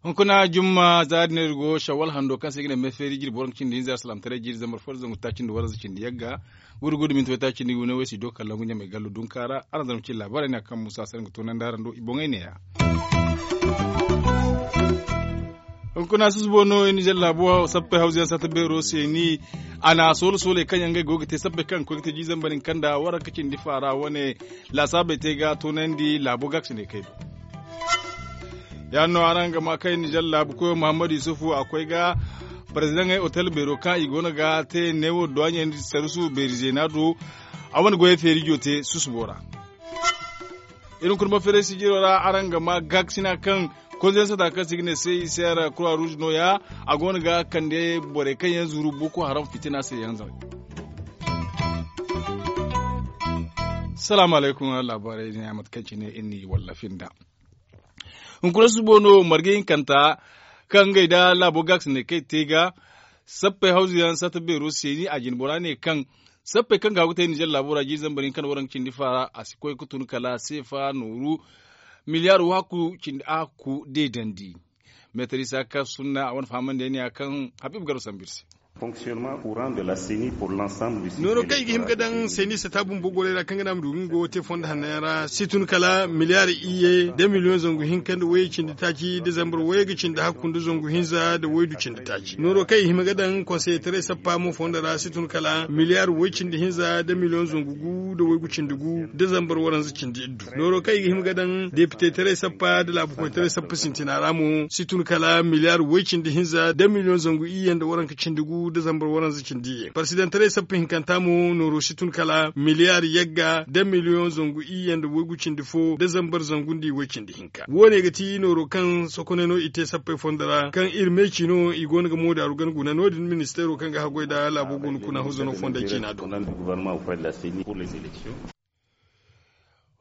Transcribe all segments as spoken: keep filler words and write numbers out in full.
Hunkuna jumma za din iri go shawwal hando kaŋ se i ga ne meefeeri jirbi waranka cindi hinza salaamataray jiiri zambar fo nda zangu taaci nda waranza cindi yagga. Gudu gudu minti waytaaci nda wane way si do kala ngu ɲamay gallo dunka ra araŋ zama cine laabaarey no ya kaŋ muusa se araŋ ga toonandi araŋ do i boŋey neeya. Hunkuna susubo no i nizer laabo sappey hawzuyaŋ satta beero se ni a na soolo sooley kaŋ yaŋ ngey go ga te sappey kaŋ ga koy ga te jiiri zambar hinka nda waranka cindi faara wane laasaabey te ga toonandi laabo gaakasiney kay do. Ya- din no araŋ ga ma kay nizer laabu koyo muhammadu yusufu a koy ga parezidaŋey otel beero kaŋ i go no ga te neewo duwaaɲey nda sarusu beeri zeena do. A wane goyey feerijo te susubo ra. Iri hunkuna ma feeray sijiro ra araŋ ga ma gaakasina kaŋ konzensata kaŋ se i ga ne se i se ra kura ruuz no- ya a go no ga kande borey kaŋ yaŋ zuru boko haram fitina se yaŋ zama. Salaamu alaykum. Laabaarey din ya mate kaŋ cine iri n'i wallafi nd'a. Hunkuna susubo no marga hinkanta kaŋ ngey nda laabo gaakasiney kaŋ i te ga sappey hawzuyaŋ satta beero seeni a jine bora ne kaŋ sappey kaŋ ga hagu te nizer laabo ra jiiri zambar hinka nda waranka cindi faara a si koy ga tun kala seefa nooru miliyaar wahakku cindi ahakku deedandi. Meetar isa ka sunna a wane fahamandi yaŋ ne ya kaŋ habiibu garba sambu iri se. Nooro kaŋ i ga hima ga daŋ seeni sata bumbo gorey ra kaŋ ga naŋ a ma du ga nga wo te fondo hanno yaŋ ra si tun kala miliyaar iyye da miliyoŋ zangu hinka nda way cindi taaci da zambar way ga cindi hakku nda zangu hinza nda waydu cindi taaci nooro kaŋ i hima ga daŋ konseyetaray sappa mo fondo ra si tun kala miliyaar way cindi hinza nda miliyoŋ zangu gu nda waygu cindi gu nda zambar waranza cindi iddu nooro kaŋ i ga hima ga daŋ depitetaray sappa nda laabukoytaray sappa sintina ra mo si tun kala miliyaar way cindi hinza nda miliyoŋ zangu iyye nda waranka cindi gu nda zambar waranza cindi iyye parsidantaray sappa hinkanta mo nooro si tun kala miliyaar yagga nda miliyoŋ zangu iyye nda waygu cindi fo nda zambar zangu nda iway cindi hinka wo- ne ga ti nooro kaŋ sokoney no i te sappey fondo ra kaŋ iri meeci no i go no ga moodaaru gana guna no- din ministeero kaŋ ga haggoy nda laabo go no kuna huzano fondey ciina do.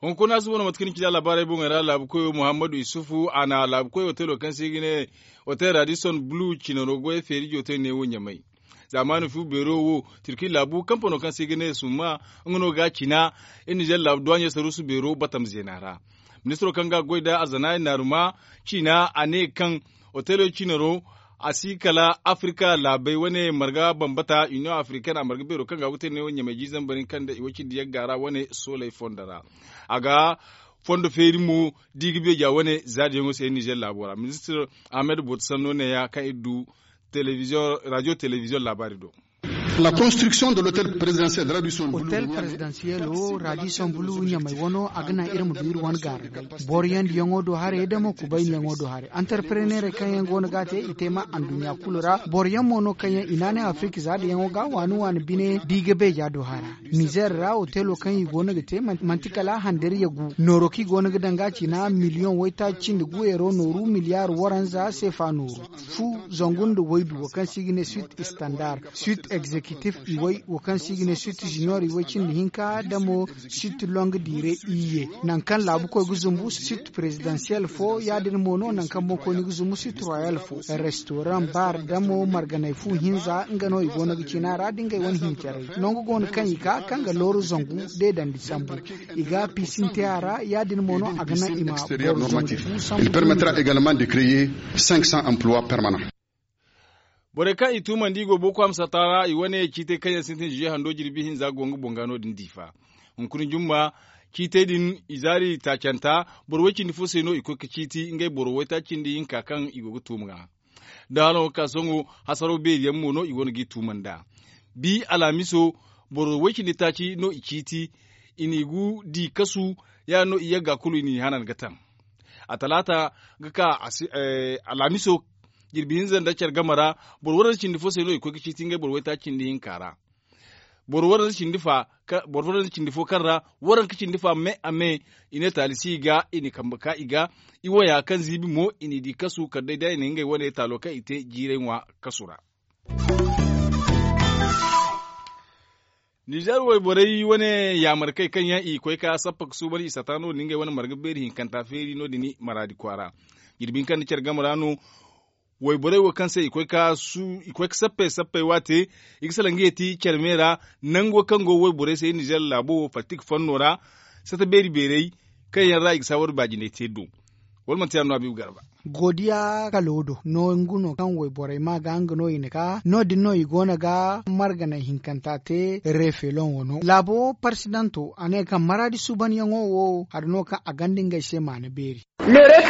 Hunkuna suba no mate kaŋ ni ci da laabaarey boŋey ra laabu koyo muhammadu isufu a na laabu koy otelo kaŋ se i ga ne otel radison bulu cinaro goyey feeri jootey neewo ɲamay. Zaamaani fu beero wo tirki laabu kampano kaŋ se i ga ne summa nga no ga a cina iri nizer laabu duwaaɲey saruusu beero batam zeena ra. Ministiro kaŋ ga a goy nda arzana i naaruma ciina a ne kaŋ otelo cinaro a si kala afirika laabey wane marga bambata union africaine a marga beero kaŋ ga a go ga te neewo ɲamay jiizambari kaŋ nda i way cindi yagga ra wane sooley fondo ra. A ga fondo feeri mo da i ga beeja wane zaadiyaŋo se nizer laabo ra ministir ahmed boto sanno neeya kaŋ iri du rajo telebiziyoŋ laabaari do. La construction de l'hôtel présidentiel de radisson bulu otel présidentiel o radisson bulu ɲamay wano a ga naŋ iri ma du iri wane gaara day boro yandi yaŋo do haray da mo kubayni yaŋo do haray antarpreneerey kaŋ yaŋ go no ga a te i te ma anduɲɲa kulu ra boro yaŋ mo no kaŋ yaŋ i naanay afirika zaada yaŋo ga waani waani bine da i ga beeja do hara nizer ra otelo kaŋ i go no ga te manti kala handariya gu nooro kaŋ i go no ga daŋ ga a ciina miliyoŋ waytaaci cindi gu eero nooru miliyaar waranza seefa nooru fu zangu nda waydu wo kaŋ se i ga ne suit standard suit executif iway wo kaŋ se i ga ne suit junior iway cindi hinka da mo suit longue durée iyye nangu kaŋ laabu koy ga zumbu suit présidentiel fo ya- din mo no nangu kaŋ boŋkoyne ga zumbu suit royal fo restaurant bar da mo marganay fu hinza nga no i go no ga ciina ra da ngey wane hincaray nangu go no kaŋ i ka kaŋ ga looru zangu deedandi sambu i ga piisin te a ra ya- din mo no a ga naŋ i ma boro zangu fu sambu permettra également de créer cinq cents emplois permanents. Borey kaŋ i tuumandi i go boko hamsata ra i wane ciitey kaŋ yaŋ sintin ziye hando jirbi hinza go nga boŋ ga no- din diifa hunkuna jumma ciitey din i zaari taacanta boro way cindi fo se no i koy ga ciiti ngey boro waytaaci cindi hinka kaŋ i go ga tuuma ga da hano ga ka sohõ hasaro beeri yaŋ mo no i go no ga i tuuma nd'a bi alhamiso boro way cindi taaci no i ciiti i n'i gu di kasu ya- din no i yagga kulu i n'i hanan ga taŋ a talaata ga ka alhamiso jirbi hinza nda care game ra boro waranza cindi fo se no i koy ga ciiti ngey boro waytaaci cindi hinka ra boro waranza cindi fa boro waranza cindi fo kaŋ ra waranka cindi fa me a me i ne taali si i ga i na kambe ka i ga i waya kaŋ ziibi mo i n'i di kasu kala day da i na ngey wane taalo kaŋ i te jiiray ŋwa kasu ra. Nizer wayborey wane yaamarkey kaŋ yaŋ i koy ka sappa ga suuban i sata no- din ngey wane marga beeri hinkanta feeri no- din maraadi kwaara jirbi hinka nda care game ra no Wayborey wo kaŋ se i koy ka sappey sappey waate i ga salaŋ ga yeeti care me ra. Nango kaŋ go wayborey se nizer laabo wo faltik fanno ra sata beeri beerey kaŋ yaŋ ra i ga saawar baajinay te do. Wala manti yaŋ no a biibu garba. Goodiya kalo do no nga no kaŋ wayborey ma ga nga no i na ka no- din no i go no ga marganay hinkanta te reefelon wano laabo parsidanto a ne kaŋ maraadi suubanyaŋo wo hari no kaŋ a gonda ngey se maana beeri. Mate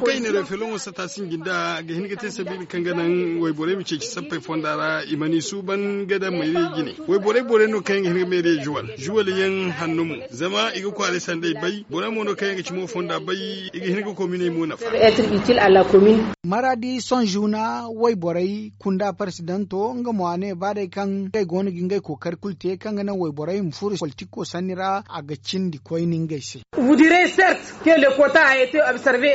kaŋ i na reefelon wo sata sinji nda ga hin ga te sabiila kaŋ ga naŋ wayborey ma ceeci sappey fonda ra i mana i suuban ga daŋ mayriyey jine. Wayborey borey no kaŋ yaŋ ga hin ga meeriyey juwal juwal yaŋ hanno mo zama i ga kwaaray sandey bay borey mo no kaŋ yaŋ ga ci mo fonda bay i ga hin ga kominey mo nafa. Maraadi sohõ zuuna wayborey kunda parsidanto nga mo a ne ba day kaŋ ngey go no ga ngey kookari kulu te kaŋ ga naŋ wayborey ma furo politiko sanni ra a ga cindi koyne ngey se.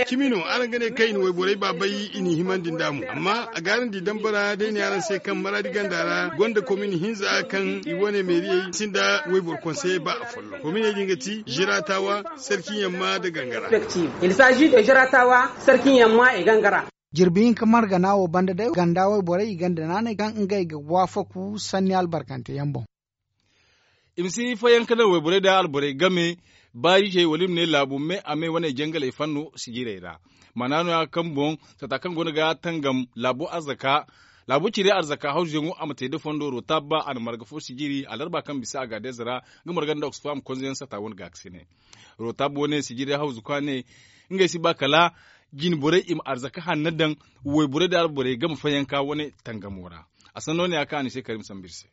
Cimi no araŋ ga ne kaŋ i na wayborey ba bay i n'i himandi nd'a mo amma a ga araŋ di dambara day ne araŋ se kaŋ maraadi ganda ra gonda komin hinza kaŋ i wane meeriyey sinda wayboro konseye ba afolloŋ kominey din ga ti ziraatawa sarki yamma nda gangara. Jirbi hinka margana wo banda day ganda wayborey i gonda naanay kaŋ ngey ga waafaku sanni albarkante yaŋ boŋ. I ma si fayanka naŋ wayborey nda alborey game baariizey wala i ma ne laabu me a me wane jangaley fanno sijirey ra. Maana no- ya kaŋ boŋ sata kaŋ go no ga tangam laabo arzaka laabo cire arzaka hawzuyaŋo a ma te nda fondo roota ba a na marga fo sijiri alarba kaŋ bisa a ga deeza ra nga marga nda oxfam konzoyaŋ sata wane gaakasine. Roota bo ne sijiri hawzuka ne ngey si ba kala jinborey i ma arzaka hanno daŋ wayborey nda alborey game fayanka wane tangamo ra. A sanno ne ya kaŋ a ni se karim sambu iri se.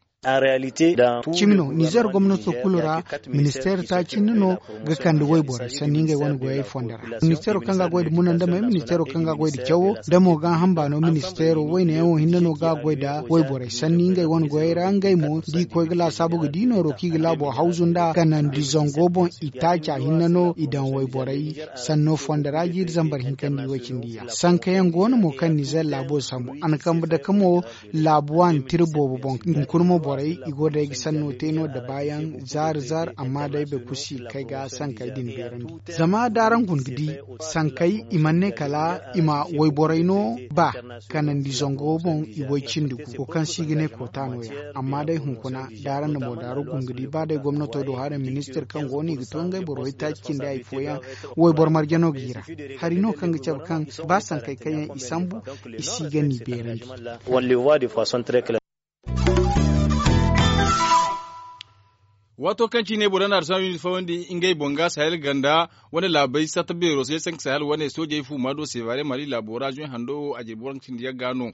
Cimi no nizer gomnato kulu ra ministeero taaci hinne no ga kande wayborey sanni ngey wane goyey fonda ra. Ministeero kaŋ ga a goy nda munandamey ministeero kaŋ ga a goy nda cawo da mo ga hamba no ministeero wayne yaŋo hinne no ga a goy nda wayborey sanni ngey wane goyey ra ngey mo da i koy ga laasaabu ga di nooro kaŋ i ga laabo hawzu nd'a kanandi zango boŋ i taaca hinne no i daŋ wayborey sanno fonda ra jiiri zambar hinka nda i way cindi yaŋ sanka yaŋ go no mo kaŋ nizer laabo sambu a na kambe dake mo laabu waani tira boobo boŋ hunkuna mo borey i go day ga sanno te no da baayaŋ zaari zaari amma day boro kulu si ga kay ga sankey din beerandi. Zama da araŋ guna ga di sankey i mana ne kala i ma wayborey no ba kanandi zango boŋ i way cindi gu wo kaŋ se i ga ne koota no- ya amma day hunkuna da araŋ na moodaaru guna ga di ba day gomnato do haray ministir kaŋ go no i ga to ngey boro waytaaci cindi hari fooyaŋ wayboro marje no ga i ra. Hari no kaŋ ga cabe kaŋ ba sankey kaŋ yaŋ i sambu i si ga n'i beerandi. Waato kaŋ ciine boro na arsami fawandi ngey boŋ ga sahel ganda wane laabey satta beero se sanka sahel wane soojey fu ma do sevare mali laabo ra zuy hando a jirbi waranka cindi yagga no.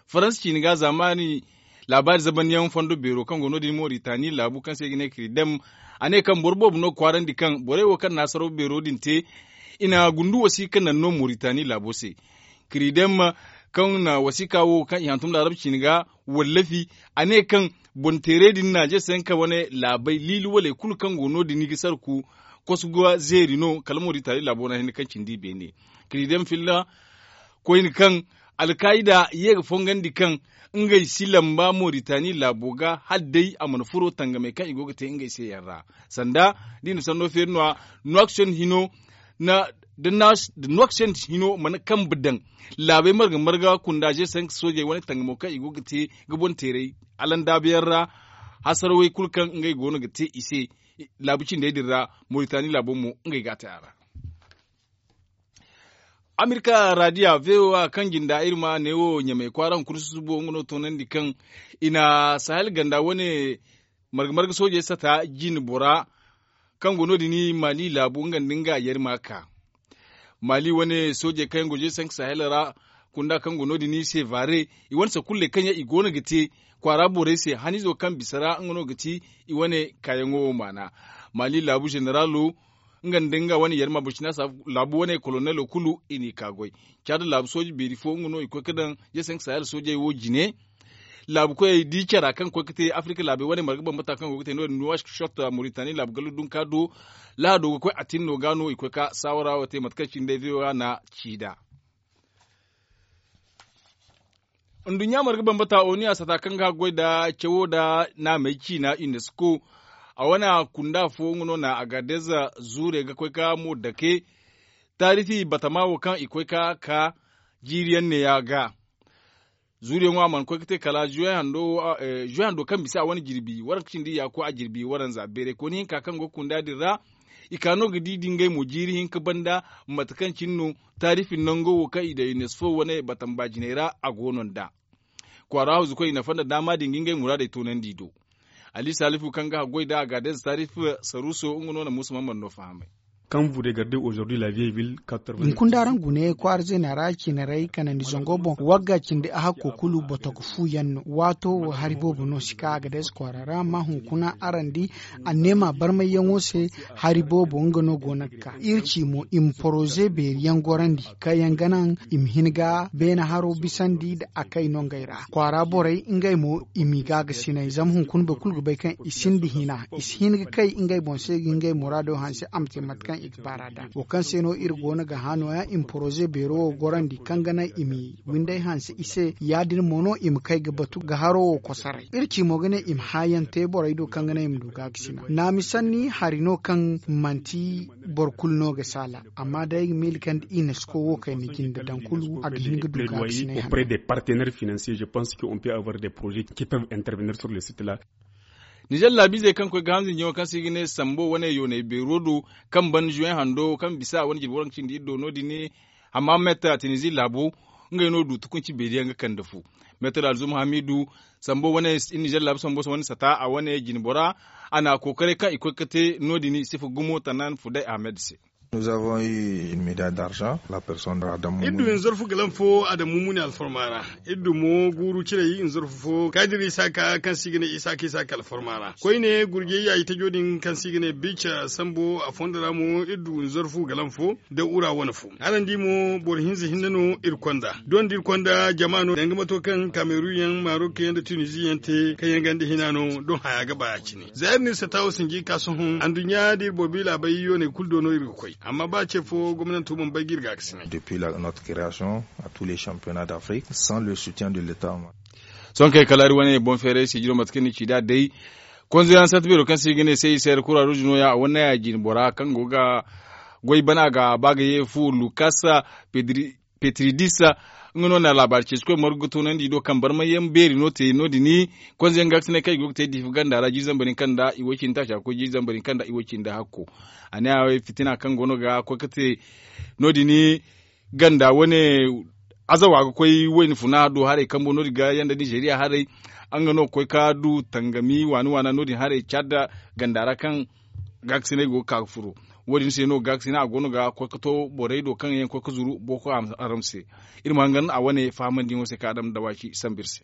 Faransa ciine ga zaamaani laabaari zabandiyaŋ fondo beero kaŋ go no- din moritani laabu kaŋ se i ga ne kiridem a ne kaŋ boro boobo no ga kwaarandi kaŋ borey wo kaŋ na hasaraw beero din te i na gundu wasiika naŋ no moritani laabo se. Kiridem kaŋ na wasiika wo kaŋ i hantum laarab ciine ga wallafi a ne kaŋ boŋ teerey din na jeesanka wane laabey liili waley kulu kaŋ go no- din i ga sarku kosu ga zeeri no kala moritani laabo ra hinne kaŋ cindi i beene. Kiridem filla koyne kaŋ alkaayida ye ga fongandi kaŋ ngey si lamba moritani laabo ga hala day a mana furo tangamey kaŋ i go ga te ngey se yaŋ ra. Sanda da i na sanno feeri no- ya nuwaksen hino da nuwaksen hino mana kambe daŋ laabey marga marga kunda zeesanka soojey wane tangamo kaŋ i go ga te ga boŋ teerey alandaabu yaŋ ra. Hasarawey kulu kaŋ ngey go no ga te i se laabu cindey din ra moritani laabo mo ngey ga a te a ra. Amerika radiya voa kaŋ jinda iri ma ne wo ɲamey kwaara hunkuna susubo nga no toonandi kaŋ i na sahel ganda wane marga marga soojey sata jine bora kaŋ go no- din mali laabu nga nda nga yari ma ka mali wane soojey kaŋ yaŋ go jeesanka sahel ra kunda kaŋ go no- din sevare i wane sakulley kaŋ yaŋ i go no ga te kwaara borey se haniizo kaŋ bisa ra nga no ga ti i wane kaayaŋo wo maana. Mali laabu zeneralo nga nda nga wane yarma burcina laabu wane kolonelo kulu i n'i ka goy. Caada laabu sooji beeri fo nga no i koy ga daŋ jeesanka sahel soojey wo jine. Laabu koyey di cara kaŋ ga koy ga te afirika laabey wane marga bambata kaŋ go ga te no- din nuwashot moritani laabu gallu dunka do lahado ga koy atinno ga no i koy ga saawara wo te mate kaŋ cine day voa na ci nd'a. Nduɲɲa marga bambata oniya sata kaŋ ga goy nda cawo nda naamey ciina unesco a wane kunda fo nga no na agadez zuure ga koy ga mo dake taarifi batama wo kaŋ i koy ga ka Jiiri yaŋ ne ya ga zuuriyaŋo a mana koy ga te kala zuwe hando kaŋ bisa a wane jirbi waranka cindi ya ga koy a jirbi waranza beeray kooni hinka kaŋ go ga kunda din ra. I ka no ga di da ngey mo jiiri hinka banda mate kaŋ cine no taarifi nango wo kaŋ i daŋ unesco wane batamba jinay ra a go no nd'a. Kwaara hawzukoy i nafa nda daama din ga ngey muraadey toonandi do. Ali salifu kaŋ ga haggoy nda a ga deeza taarifi saruuso nga no na muusa mamman no fahamay. Hunkuna da araŋ gune kwaara zeena ra ciinaray kanandi zango boŋ wagga cindi a hakko kulu botoka fu yaŋ no waato wo hari boobo no si ka a ga deeza kwaara ra amma hunkuna araŋ di anneema barmayyaŋo se. Hari boobo nga no go no ga ka iri ci mo i ma poroze beeri yaŋ gorandi kaŋ yaŋ ga naŋ i ma hin ga beene haro bisandi nda a kay no ngey ra kwaara borey ngey mo i m'i gaagasinay zama hunkuna boro kulu ga bay kaŋ i sinda hina i si hin ga kay ngey boŋ se ga ngey muraado hanse a ma te mate kaŋ i ga baar'a da wo kaŋ se no iri go no ga hã nooya i ma poroze beero wo gorandi kaŋ ga naŋ i m'i winday hanse i se ya- din mo no i ma kay ga batu ga haro wo kosoray iri ci mo ga ne i ma hãayaŋ te borey do kaŋ ga naŋ i ma du gaagasinay naami sanni hari no kaŋ manti boro kulu no ga saala. Amma day ay ga miila kaŋ da i na si koy wo kayna jinde daŋ kulu a ga hin ga du gaagasinay hanno. Nizer laabiizey kaŋ koy ga hanza njaŋo kaŋ se i ga ne sambo wane yoonay beero do kaŋ ban zuwe hando kaŋ bisa a wane jirbi waranka cindi iri do no- din. Amma metta tinizi laabo ngey no du tukunci beeri yaŋ ga kande fu. Metta da alzuma hamiidu sambo wane iri nizer laabu sambo se wane sata a wane jinbora a na a kookaray kaŋ i koy ga te no- din sifa gumo tanan fuday ahmed se. Iri du nzarfu galan fo adamu mumuni alfarma ra. Iri du mo guuru ciray nzarfu fo kaadir isaaka kaŋ se i ga ne isaaka isaaka alfarma ra koyne gurjey yaayi tajo din kaŋ se i ga ne bica sambo a fondo ra mo iri du nzarfu galan fo da ura wane fo. Araŋ di mo boro hinza hinne no iri konda doŋ da iri konda jama no danga mato kaŋ kameru yaŋ marok yaŋ nda tunizi yaŋ te kaŋ yaŋ ganda hina no doŋ haya ga ba ya cine. Za iri n'iri sata wo sinji ka sohõ anduɲɲa da iri boro bi laabay yooney kulu do no iri ga koy amma ba ce fo gomnanto mana bay ga iri gaakasinay. Depuis notre création à tous les championnats d'afrique sans le soutien de l'état. Sohõ kay kala iri wane boŋ feeray sijiro mate kaŋ ni ci nd'a day konzoyaŋ sarti beero kaŋ se i ga ne se i se kura ruuzu nooya a wane ya jine bora kaŋ go ga goy bana ga ba ga ye fu lukas petridis. Nga no na laabaari ceeci koy margu ga toonandi do kaŋ barmayyaŋ beeri no te no- din konzoyaŋ gaakasinay kaŋ i go ga te diifa ganda ra jiiri zambar hinka nda i way cindi taaca ga koy jiiri zambar hinka nda i way cindi hakko. A ne a fitina kaŋ go no ga koy ga te no- din ganda wane azawa ga koy wayna funa do haray kambo no- din ga yanda nizeeriya haray. Nga no ga koy ga du tangami waana waana no- din haray caada ganda ra kaŋ gaakasinay go ga ka ga furo. Wo- din se no gaakasinay a go no ga koy ga to borey do kaŋ yaŋ ga koy ga zuru boko haram se. Iri ma hangan a wane fahamandiyaŋo se kaŋ a daŋ dawaaci sambu iri se.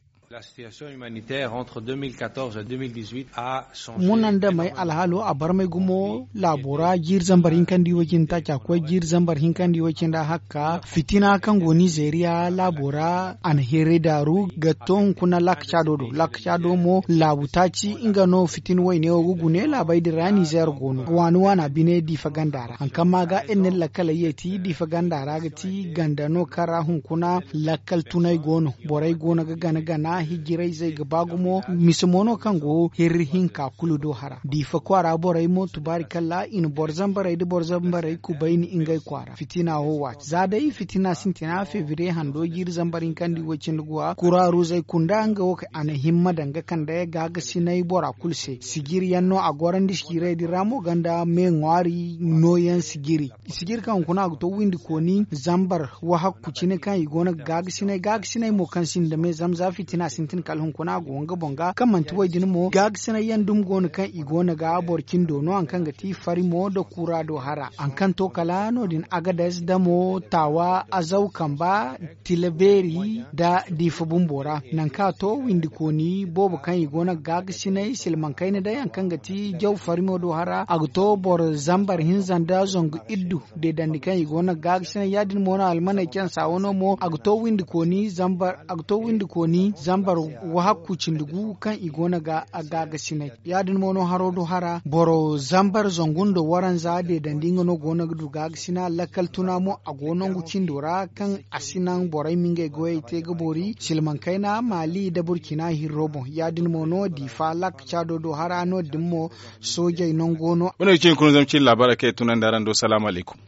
Munandamey alhaalo a barmay gumo laabo ra jiiri zambar hinka nda i way cindi taaca koy jiiri zambar hinka nda i way cindi hakka fitina kaŋ go nizeeriya laabo ra a na heeray daaru ga to hunkuna laakacaado do laakacaado mo laabu taaci nga no fitina wayne wo ga gune laabey din ra nizeer go no waani waana bine diifa ganda ra hari kaŋ ma ga iri na iri lakkaley yeeti diifa ganda ra ga ti ganda no kaŋ ra hunkuna lakkal tunay go no borey go no ga gana gana hijirayzey ga ba gumo mise mo no kaŋ go hirri hinka kulu do hara diifa kwaara borey mo tubaari kalla i na boro zambarey nda boro zambarey kubayni ngey kwaara fitina wo waati za day fitina sintina febriye hando jiiri zambar hinka nda i way cindi guwa kuraaruzey kunda nga wo kaŋ a na himma daŋ ga kande gaagasinay bora kulu se sijiri yaŋ no a gorandi sijiray din ra mo ganda me ŋwaari nooyaŋ sijiri sijiri kaŋ hunkuna a ga to windi kooni zambar wahakku cine kaŋ i go no ga gaagasinay gaagasinay mo kaŋ sinda me zama za fitina sintin kala hunkuna a go nga boŋ ga kaŋ manti way din mo gaagasinay yaŋ dumi go no kaŋ i go no ga boro cindo no hari kaŋ ga ti fari mo nda kura do hara hari kaŋ to kala no- din agades damo taawa azaw kamba tila beeri nda diifa bumbo ra nangu kaŋ a to windi kooni boobo kaŋ i go no ga gaagasinay silmaŋ kayna day hari kaŋ ga ti jaw farimo do hara a ga to boro zambar hinza nda zangu iddu deedandi kaŋ i go no ga gaagasinay ya- din mo no almaney cansa wano mo a ga to windi kooni zambar a ga to windi kooni zambar wahakku cindi gu kaŋ i go no ga gaagasinay ya- din mo no haro do hara boro zambar zangu nda waranza deedandi nga no go no ga du gaagasinay lakkal tuna mo a go nangu cindo ra kaŋ a si naŋ borey ma ngey goyey te ga boori silmaŋ kayna maali nda burcina hirro boŋ ya- din mo no diifa lakka caado do hara no- din mo soojey nango no. Wane ga cine kuna zama cine laabaarey kaŋ i tunandi araŋ do salaamu alaykum.